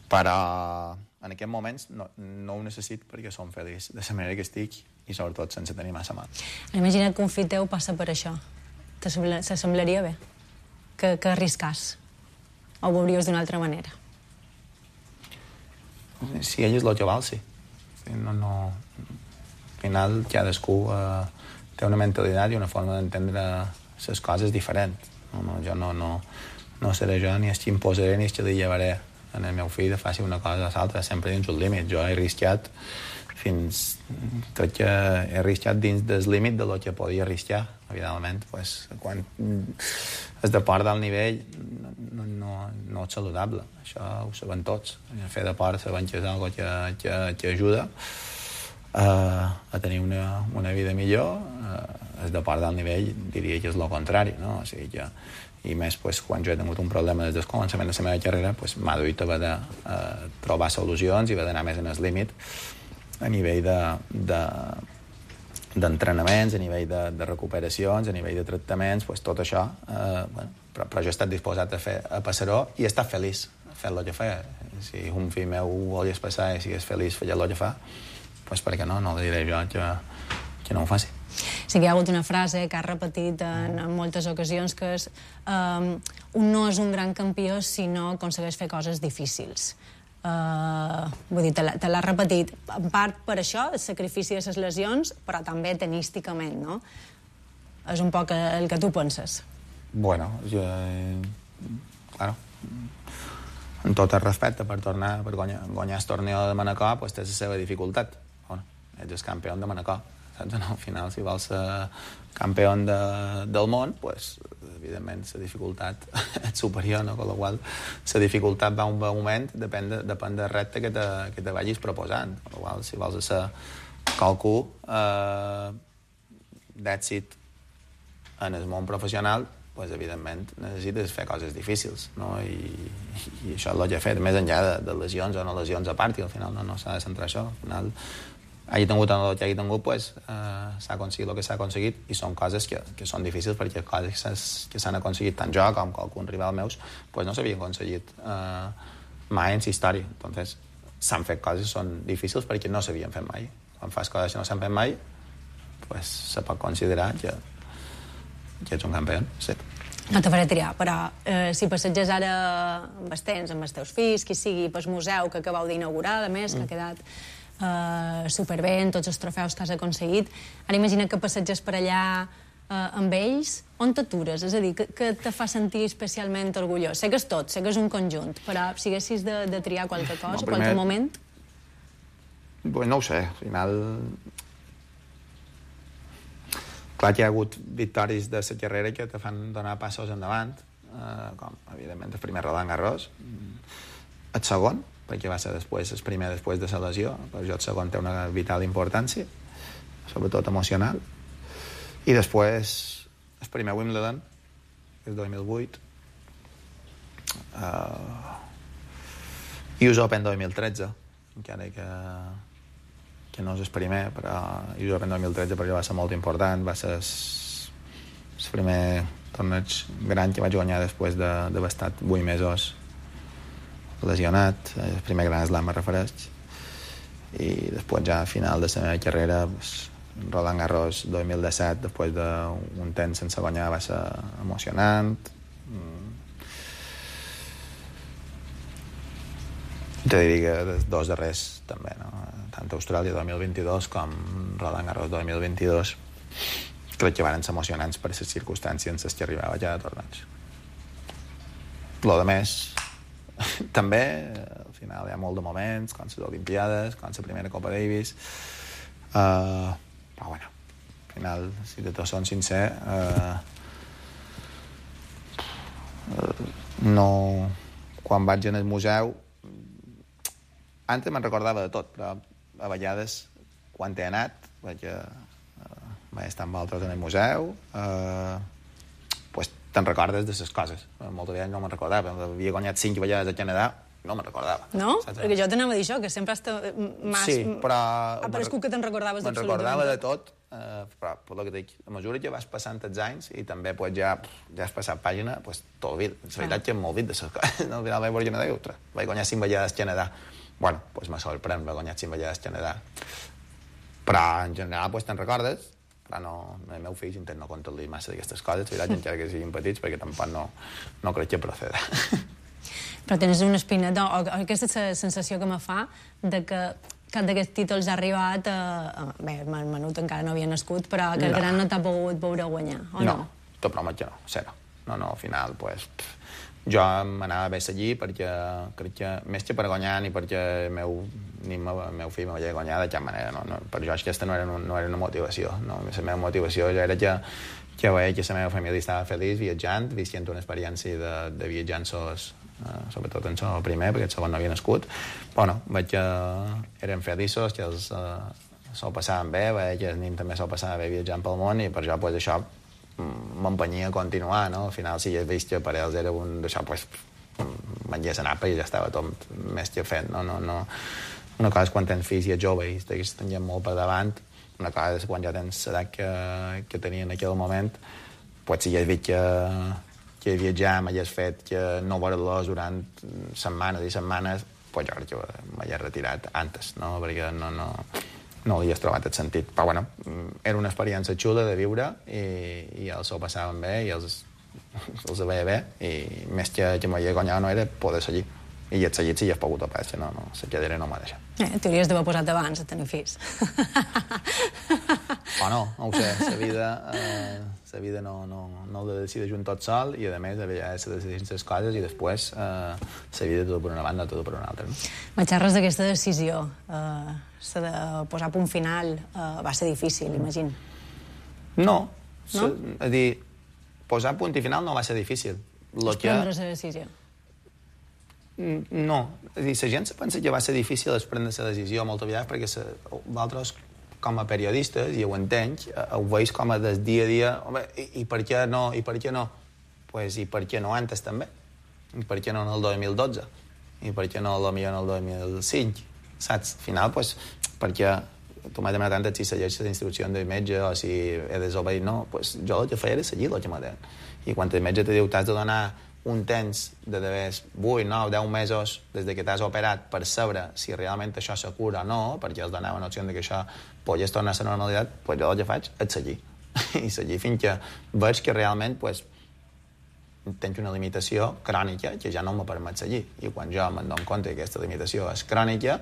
però en aquests moments no ho necessit perquè som feliç de la manera que estic i sobretot sense tenir massa mal. Imagina't que un fill teu passa per això. T'assemblaria bé que arriscàs? O ho veuries d'una altra manera? Si ell és el que val, sí. Al final cadascú té una mentalitat i una forma d'entendre les coses diferent. Jo no seré jo ni el que imposaré ni el que li llevaré en el meu fill de faci una cosa o l'altra, sempre dins un límit. Jo he arriscat crec que he arriscat dins del límit de lo que podia arriscar, evidentment. Quan es deport d'alt nivell no és saludable, això ho sabem tots. Fer deport sabem que és una cosa que ajuda, a tenir una vida millor, el deport d'alt nivell diria que és el contrari, no? O sigui que, i més pues, quan jo he tingut un problema des del començament de la meva carrera, pues, m'ha duit a haver de trobar solucions i haver d'anar més en el límit a nivell d'entrenaments, a nivell de recuperacions, a nivell de tractaments, pues, tot això, bueno, però jo he estat disposat a passar-ho i he estat feliç fent el que feia. Si un fill meu volies passar i sigués feliç fent el que fa, pues, per què no? No li diré jo que no ho faci. Sí que hi ha hagut una frase que has repetit en moltes ocasions, que és un no és un gran campió si no aconsegueix fer coses difícils. Vull dir, te l'has repetit en part per això, el sacrifici de les lesions, però també tenísticament, no? És un poc el que tu penses. Bueno, jo... Claro. En tot el respecte, per guanyar el torneo de Manacor, pues, té la seva dificultat. Bueno, ets el campió de Manacor. Saps? No, al final, si vols ser campió del món, pues, evidentment, la dificultat és superior, no? Con la qual la dificultat va un moment, depèn del repte que te vagis proposant. Con la qual, si vols ser qualcú d'èxit en el món professional, pues, evidentment, necessites fer coses difícils, no? I això és el que he fet, més enllà de lesions o no lesions a part, i al final no s'ha de centrar això. Al final, hagi tingut el que hagi tingut, pues, s'ha aconseguit el que s'ha aconseguit, i són coses que són difícils, perquè coses que s'han aconseguit tant jo com qualcun rival meus, pues, no s'havien aconseguit mai en la història. Entonces, s'han fet coses que són difícils perquè no s'havien fet mai. Quan fas coses que no s'han fet mai, pues, se pot considerar que ets un campió, sí. No te faré triar, però si passeges ara amb els temps, amb els teus fills, qui sigui, pel museu que acabeu d'inaugurar, a més, que ha quedat superbé en tots els trofeus que has aconseguit, ara imagina que passeges per allà amb ells, on t'atures? És a dir, que te fa sentir especialment orgullós? Sé que és tot, sé que és un conjunt, però si haguessis de triar qualque cosa, qualque moment... Pues no ho sé, al final... Clar que hi ha hagut victòries de la carrera que te fan donar passos endavant, com, evidentment, el primer Roland Garros, el segon, perquè va ser el primer després de la lesió, per jo el segon té una vital importància, sobretot emocional, i després el primer Wimbledon, que és 2008, US Open 2013, encara que no és el primer, però US Open 2013 per jo va ser molt important, va ser el primer torneig gran que vaig guanyar després d'haver estat 8 mesos lesionat, el primer Grand Slam me refereix, i després ja a final de la meva carrera, Roland Garros 2017, després d'un temps sense guanyar, va ser emocionant. Te diria que els dos darrers també, no? Tant Austràlia 2022 com Roland Garros 2022 crec que van ser emocionants per les circumstàncies en les que arribava ja de torneig. Lo de més també, al final hi ha molt de moments, com les Olimpiades, com la primera Copa Davis, però bueno, al final, si de tot són sincer, no... Quan vaig en el museu, antes me'n recordava de tot, però a vegades, quan he anat, vaig estar amb altres en el museu, pues te'n recordes de les coses. Moltes vegades no me'n recordava. Havia guanyat 5 vegades a Canadà, no me'n recordava. No? Perquè jo t'anava a dir això, que sempre has... Sí, però... Ha parescut que te'n recordaves d'absolutament. Me'n recordava de tot, però per el que dic, a mesura que vas passant els anys i també pues, ja has passat pàgina, pues, t'olvid. La veritat que m'olvid de les coses. Al final vaig Canadà i vaig guanyar 5 vegades a Canadà. Bueno, pues me sorprèn, vaig guanyar 5 vegades a Canadà. Però en general pues, te'n recordes, però no, el meu fill intenta no contar-li massa d'aquestes coses, veritat, encara que siguin petits, perquè tampoc no crec que proceda. Però tens una espineta, o aquesta és la sensació que me fa, de que cap d'aquests títols ha arribat bé, el menut encara no havia nascut, però que el gran no t'ha pogut veure guanyar, o no? No, t'ho promet que no, zero. No, al final, pues, jo m'anava bé allí perquè crec que, més que per guanyar, ni perquè el meu fill m'havia guanyat de cap manera, no, per jo aquesta no era una motivació, no? La meva motivació ja era que veia que la meva família estava feliç viatjant, visquent una experiència de viatjar en sobretot en el primer, perquè el segon no havia nascut. Bueno, veig que eren feliços, que s'ho passaven bé, veia que el nen també s'ho passava bé viatjant pel món i per això pues, això m'empenyia a continuar, no? Al final, si ja he vist que per ells era un d'això, pues, m'enllés a Napa i ja estava tot més que fet, no? Una cosa és quan tens fills i ets jove i tens molt per davant, una cosa és quan ja tens l'edat que tenia en aquell moment, pues si ja he vist que viatjar m'hagués fet que no veure-los durant setmanes i setmanes, pues jo crec que m'hagués retirat antes, no? Perquè no li has trobat el sentit. Però bueno, era una experiència xula de viure i els ho passaven bé i els veia bé i més que m'havia guanyat no era poder seguir. I he seguit si hi has pogut a pas, no, la cadira no m'ha deixat. T'hauries d'haver posat abans a tenir fills. O no ho sé, la vida no ho decideix un tot sol i a més se decideixen les coses i després la vida tot per una banda, tot per una altra. Me xerres d'aquesta decisió, la de posar punt final, va ser difícil, imagino. No? És dir, posar punt i final no va ser difícil. És prendre la decisió. No, és dir, la gent se pensa que va ser difícil prendre la decisió moltes vegades perquè vosaltres com a periodistes, i ho entenc, ho veus com a del dia a dia, home, i per què no, i per què no? Pues, i per què no antes també? I per què no en el 2012? I per què no potser en el 2005? Saps? Al final, pues, perquè tu m'has demanat antes si segueixes les instruccions del metge o si he desobeït, no, pues jo el que feia era seguir el que m'ha dit. I quan el metge te diu t'has de donar un temps de 8, 9, 10 mesos des que t'has operat per saber si realment això se cura o no, perquè els donava noció que això pogués tornar a la normalitat, pues jo el que faig és seguir. I seguir fins que veig que realment pues, tens una limitació crònica que ja no me permet seguir. I quan jo me'n dono compte que aquesta limitació és crònica,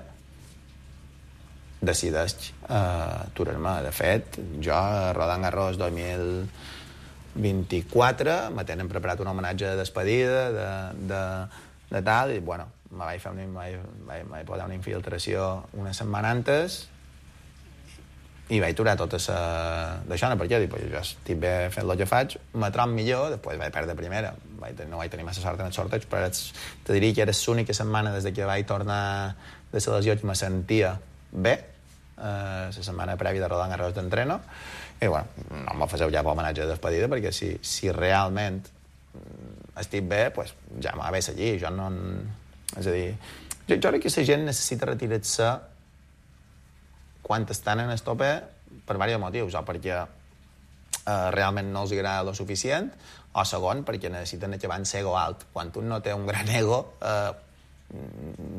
decideix aturar-me. De fet, jo a Roland Garros 2024 me tenen preparat un homenatge de despedida de tal, i bueno, me vaig posar una infiltració una setmana antes i vaig aturar tota d'això, no, perquè dic, jo estic bé fent el que faig, me trobo millor, després vaig perdre primera, no vaig tenir massa sort en el sorteig, però te diria que era l'única setmana des que vaig tornar de la lesió que me sentia bé, la setmana prèvia de Roland Garros d'entreno, i bueno, no m'ho faceu ja per homenatge de despedida, perquè si realment estic bé, pues ja m'ha de seguir, jo no... És a dir, jo crec que la gent necessita retirar-se quan estan en el tope per diversos motius, o perquè realment no els agrada lo suficient, o segon, perquè necessiten acabar en ego alt. Quan un no té un gran ego,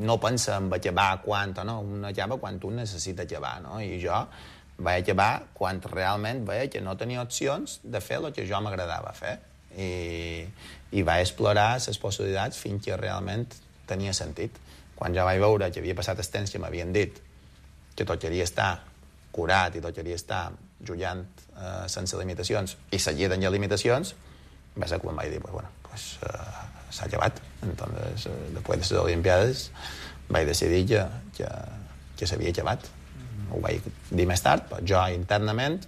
no pensa en acabar quan o no, un acaba quan un necessita acabar, no? I jo vaig acabar quan realment veia que no tenia opcions de fer el que jo m'agradava fer. I vaig explorar les possibilitats fins que realment tenia sentit. Quan ja vaig veure que havia passat el temps que m'havien dit que tocaria estar curat i tocaria estar jugant sense limitacions i seguir tenint limitacions, va ser quan vaig dir, s'ha acabat. Entonces, després de les Olimpiades vaig decidir que s'havia acabat. Ho vaig dir més tard, però jo internament,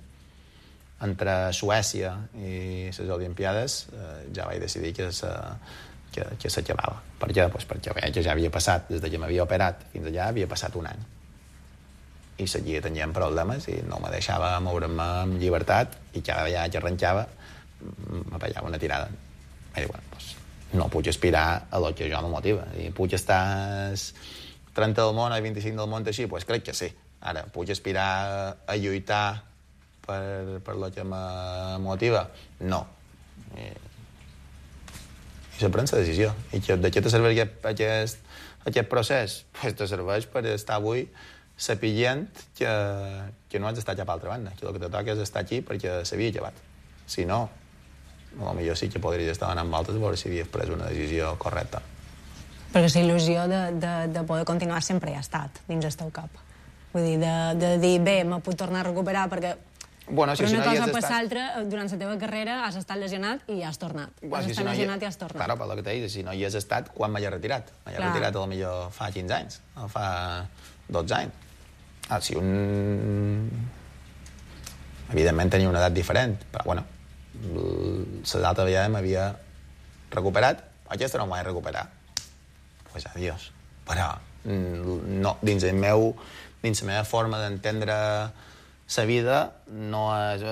entre Suècia i les Olimpiades, ja vaig decidir que s'acabava. Per què? Pues perquè veia que ja havia passat, des que m'havia operat fins allà, havia passat un any. I seguia tenint problemes i no me deixava moure'm amb llibertat i cada vegada que arrencava me pegava una tirada. I dic, no puc aspirar a lo que jo me motiva. I puc estar 30 del món o 25 del món així? Doncs crec que sí. Ara, puc aspirar a lluitar per lo que me motiva? No. I se pren la decisió. I de què te serveix aquest procés? Doncs te serveix per estar avui sapient que no has d'estar cap a l'altra banda, que el que te toca és estar aquí perquè s'havia acabat. Si no, potser sí que podries estar donant voltes a veure si havies pres una decisió correcta. Perquè la il·lusió de poder continuar sempre hi ha estat dins el teu cap. Vull dir, de dir, bé, me puc tornar a recuperar perquè per una cosa o per l'altra, durant la teva carrera has estat lesionat i has tornat. Has estat lesionat i has tornat. Claro, per el que t'he dit, si no hi has estat, quan m'he retirat? M'he retirat potser fa 15 anys, o fa 12 anys. Si un... Evidentment tenia una edat diferent, però bueno, l'altra vegada m'havia recuperat, aquesta no m'ho vaig recuperar. Pues adiós. però no, dins la meva forma d'entendre la vida no és...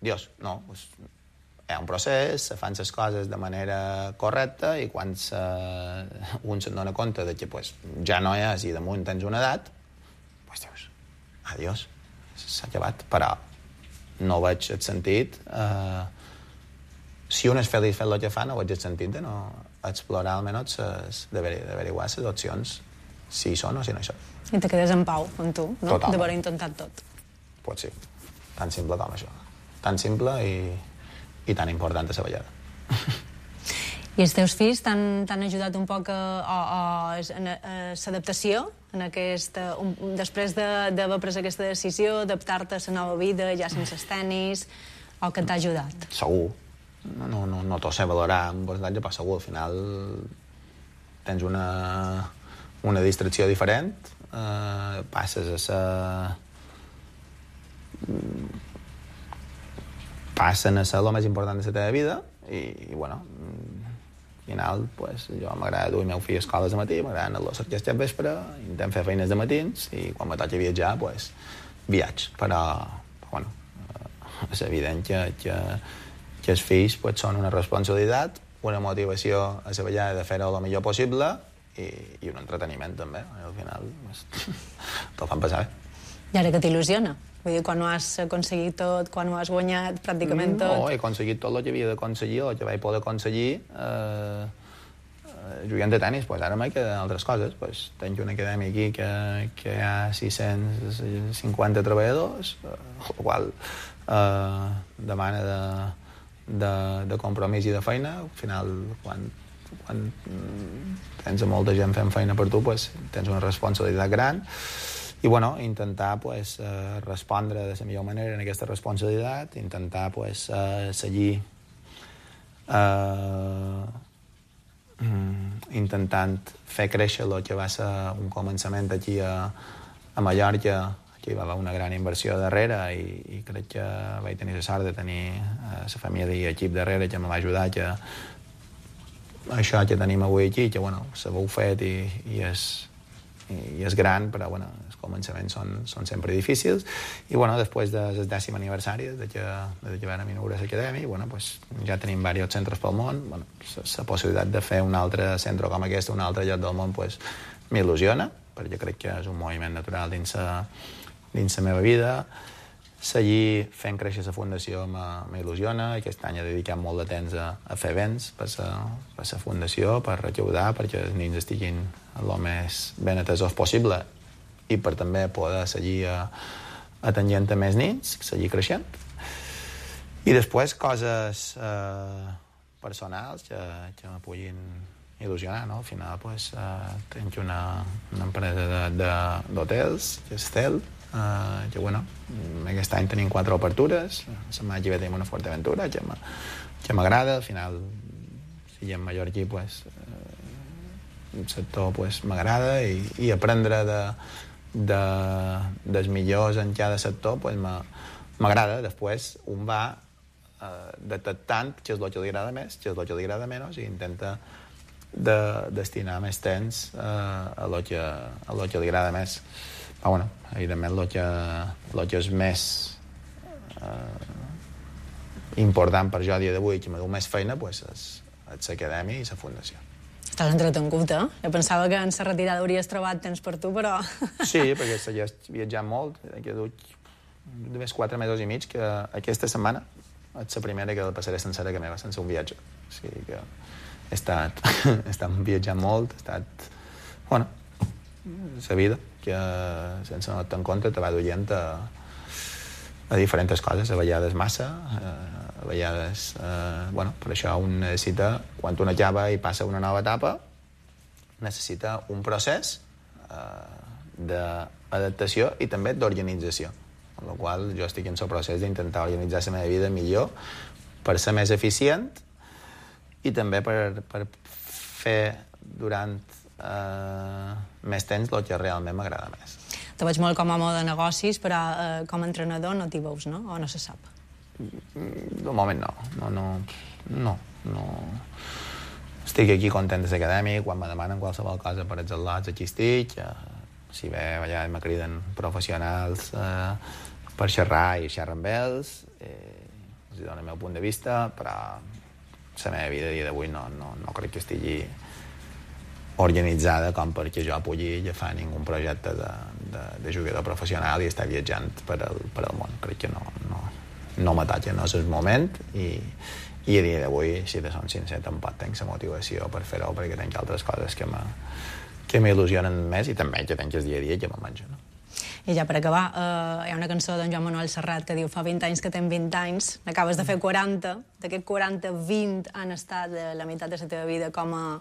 Dios, no, pues, hi ha un procés, se fan les coses de manera correcta i quan un se'n dona compte de que pues, ja no és i damunt tens una edat, pues dius, adiós, s'ha acabat. Però no veig el sentit... Si un és feliç fent el que fa, no veig el sentit de no explorar almenys d'averiguar les opcions, si hi són o si no hi són. I te quedes en pau amb tu, no? Totalment. D'haver intentat tot. Pues sí, tan simple com això. Tan simple i tan important a la vegada. I els teus fills t'han ajudat un poc a l'adaptació en després d'haver pres aquesta decisió, adaptar-te a la nova vida, ja sense els tenis, o que t'ha ajudat? Segur. No t'ho sé valorar en percentatge, però segur, al final tens una distracció diferent, passes a ser... passen a ser el més important de la teva vida i bueno, al final pues, jo m'agrada dur el meu fill a escoles de matí, m'agrada anar a l'orquestra al vespre, intentem fer feines de matins i quan me toca viatjar, pues, viatge. Però bueno, és evident que els fills pues, són una responsabilitat, una motivació a la vegada de fer-ho el millor possible i un entreteniment també. Al final pues, te'l fan passar bé. I ara que t'il·lusiona? Vull dir, quan ho has aconseguit tot, quan ho has guanyat pràcticament tot... No, he aconseguit tot el que havia d'aconseguir, el que vaig poder aconseguir jugant de tenis. Pues ara m'hi queden altres coses. Pues, tenc una acadèmia aquí que hi ha 650 treballadors, el qual demana de compromís i de feina. Al final, quan tens molta gent fent feina per tu, pues, tens una responsabilitat gran. I bueno, intentar pues, respondre de la millor manera en aquesta responsabilitat, intentar pues, seguir intentant fer créixer el que va ser un començament aquí a Mallorca. Aquí hi va haver una gran inversió darrere i crec que vaig tenir la sort de tenir la família i equip darrere que me va ajudar que això que tenim avui aquí, que bueno, s'haveu fet i és gran, però bueno, els començaments són sempre difícils. I bueno, després del 10è aniversari de que vam inaugurar l'acadèmia, bueno, pues, ja tenim diversos centres pel món. Bueno, la possibilitat de fer un altre centre com aquest, un altre lloc del món, pues, m'il·lusiona, perquè crec que és un moviment natural dins la meva vida. Seguir fent créixer la fundació m'il·lusiona. Aquest any he dedicat molt de temps a fer events per la fundació, per recaudar, perquè els nens estiguin el més ben atesos possible i per també poder seguir atenent a més nens, seguir creixent. I després coses personals que me puguin il·lusionar, no? Al final pues, tenc una empresa d'hotels, que és Cel, que bueno, aquest any tenim 4 obertures, la setmana que ve tenim una Fuerteventura que m'agrada. Al final, si hi ha mallorquí, pues, el sector pues, m'agrada i aprendre dels millors en cada sector pues, m'agrada. Després un va detectant què és el que li agrada més, què és el que li agrada menys i intenta destinar més temps a lo que li agrada més. Però bueno, evidentment el que és més important per jo a dia d'avui, que m'ha dut més feina, pues, és l'acadèmia i la fundació. Estàs entretengut, eh? Jo pensava que en la retirada hauries trobat temps per tu, però... Sí, perquè he viatjat molt. He dut només 4 mesos i mig, que aquesta setmana és la primera que la passaré sencera que meva, sense un viatge. O sigui que he estat viatjant molt, he estat... Bueno, la vida, que sense anar-te en compte te va duient a diferents coses, a vegades massa, a vegades... bueno, per això un necessita, quan un acaba i passa una nova etapa, necessita un procés d'adaptació i també d'organització. Amb la qual jo estic en el procés d'intentar organitzar la meva vida millor per ser més eficient i també per fer durant més temps el que realment m'agrada més. Te veig molt com a home de negocis, però com a entrenador no t'hi veus, no? O no se sap? De moment no. estic aquí content des acadèmic, quan me demanen qualsevol cosa per els al·lots, aquí estic, si bé allà me criden professionals per xerrar i xerrar amb ells, els dono el meu punt de vista, però la meva vida a dia d'avui no crec que estigui organitzada com perquè jo pugui agafar ningun projecte de jugador professional i estar viatjant per al món. Crec que no m'atalla, no és el moment i a dia d'avui, si de ser sincer, tampoc tinc la motivació per fer-ho perquè tinc altres coses que m'il·lusionen més i també que tinc el dia a dia que me menjo, no? I ja per acabar, hi ha una cançó d'en Joan Manuel Serrat que diu fa 20 anys que tens 20 anys, n'acabes de fer 40, d'aquests 40, 20 han estat la meitat de la teva vida com a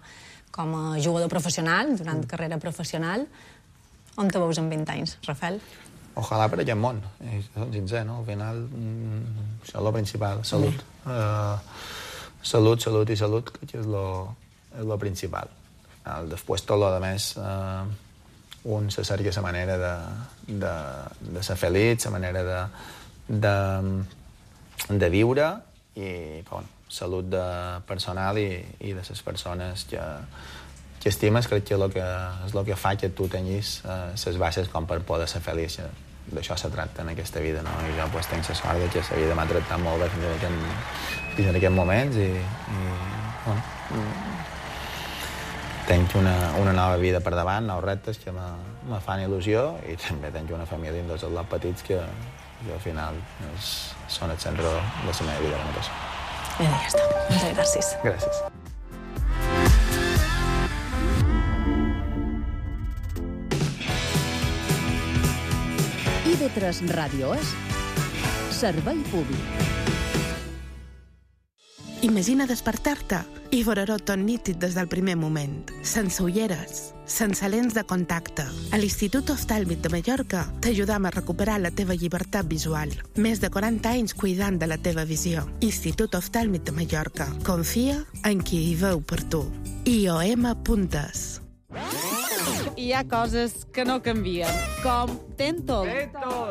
jugador professional, durant carrera professional. On te veus en 20 anys, Rafael? Ojalà per aquest món, som sincers, no? Al final, això és el principal, salut. Salut i salut, crec que és el principal. Després tot el més, un se cerca la manera de ser feliç, la manera de viure i salut personal i de les persones que estimes, crec que és el que fa que tu tinguis les bases com per poder ser feliç. D'això se tracta en aquesta vida, no? I jo tinc la sort que la vida m'ha tractat molt bé fins en aquests moments i tinc una nova vida per davant, nous reptes que me fan il·lusió i també tinc una família amb dos al·lots petits que al final són el centre de la meva vida. I ja està. Moltes gràcies. Gràcies. IB3 Ràdio és servei públic. Imagina despertar-te i veure-ho tot nítid des del primer moment, sense ulleres, sense lents de contacte. A l'Institut Oftàlmic de Mallorca t'ajudam a recuperar la teva llibertat visual. Més de 40 anys cuidant de la teva visió. Institut Oftàlmic de Mallorca. Confia en qui hi veu per tu. IOM.es. Hi ha coses que no canvien, com Tentol.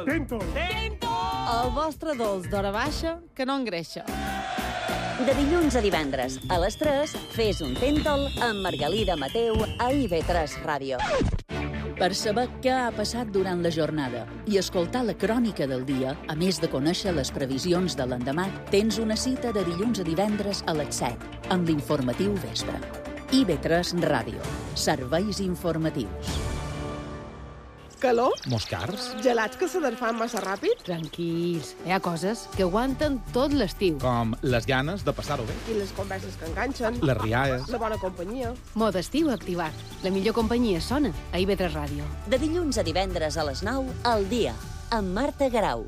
Tentol! El vostre dolç d'hora baixa que no engreixa. De dilluns a divendres, a les 3, fes un Tentol amb Margalida Mateu a IB3 Ràdio. Per saber què ha passat durant la jornada i escoltar la crònica del dia, a més de conèixer les previsions de l'endemà, tens una cita de dilluns a divendres a les 7, amb l'informatiu vespre. IB3 Ràdio. Serveis informatius. Calor? Moscars? Gelats que se desfan massa ràpid? Tranquils, hi ha coses que aguanten tot l'estiu. Com les ganes de passar-ho bé. I les converses que enganxen. Les rialles. La bona companyia. Mode estiu activat. La millor companyia sona a IB3 Ràdio. De dilluns a divendres a les 9, al dia, amb Marta Garau.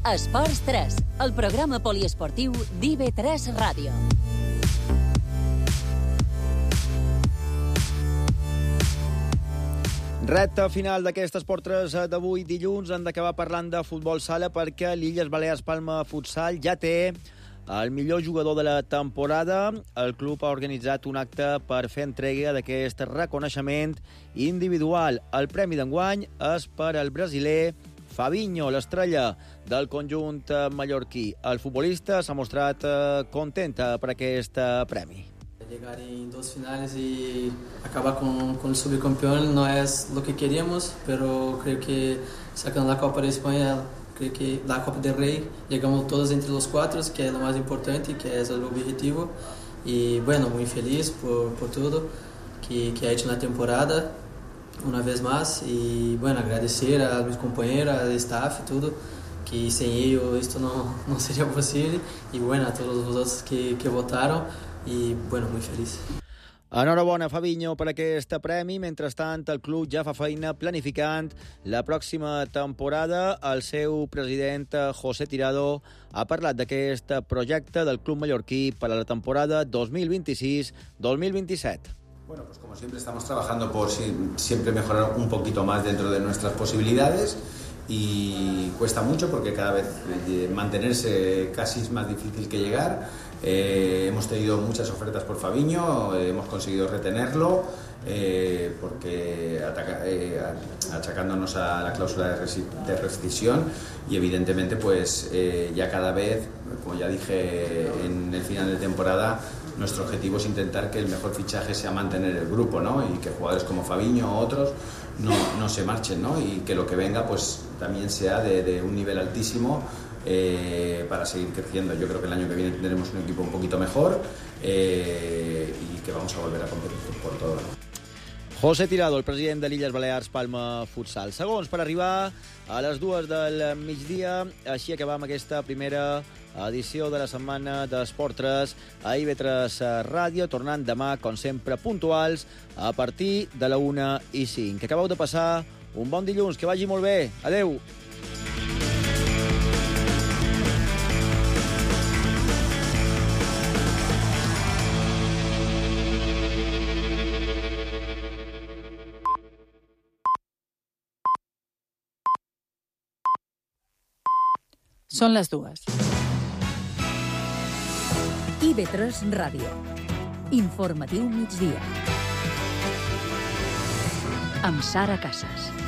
Esports 3, el programa poliesportiu d'IB3 Ràdio. Recte final d'aquest Esport 3 d'avui dilluns. Hem d'acabar parlant de futbol sala perquè l'Illes Balears Palma Futsal ja té el millor jugador de la temporada. El club ha organitzat un acte per fer entrega d'aquest reconeixement individual. El premi d'enguany és per al brasiler Fabinho, l'estrella del conjunt mallorquí. El futbolista s'ha mostrat content per aquest premi. Llegar en dos finales y acabar con el subcampeón no es lo que queríamos, pero creo que sacando la Copa de España, creo que la Copa del Rey, llegamos todos entre los cuatro, que es lo más importante, que es el objetivo. Y bueno, muy feliz por todo que ha hecho la temporada, una vez más. Y bueno, agradecer a mis compañeros, al staff y todo, que sin ellos esto no sería posible. Y bueno, a todos los otros que votaron. I, bueno, muy feliç. Enhorabona, Fabinho, per aquest premi. Mentrestant, el club ja fa feina planificant la pròxima temporada. El seu president, José Tirado, ha parlat d'aquest projecte del club mallorquí per a la temporada 2026-2027. Bueno, pues como siempre estamos trabajando por siempre mejorar un poquito más dentro de nuestras posibilidades y cuesta mucho porque cada vez mantenerse casi es más difícil que llegar. Hemos tenido muchas ofertas por Fabinho, hemos conseguido retenerlo porque achacándonos a la cláusula de rescisión y evidentemente pues ya cada vez, como ya dije en el final de temporada, nuestro objetivo es intentar que el mejor fichaje sea mantener el grupo, ¿no? Y que jugadores como Fabinho o otros no se marchen, ¿no? Y que lo que venga pues también sea de un nivel altísimo para seguir creciendo. Yo creo que el año que viene tendremos un equipo un poquito mejor y que vamos a volver a competir por todo, ¿no? José Tirado, el president de l'Illes Balears Palma Futsal. Segons per arribar a les 2 del migdia. Així acabam aquesta primera edició de la setmana d'Esport 3 a IB3 Ràdio, tornant demà, com sempre, puntuals a partir de la 1:05. Que acabeu de passar un bon dilluns, que vagi molt bé. Adeu! Són les 2. IB3 Ràdio. Informatiu migdia. Amb Sara Casas.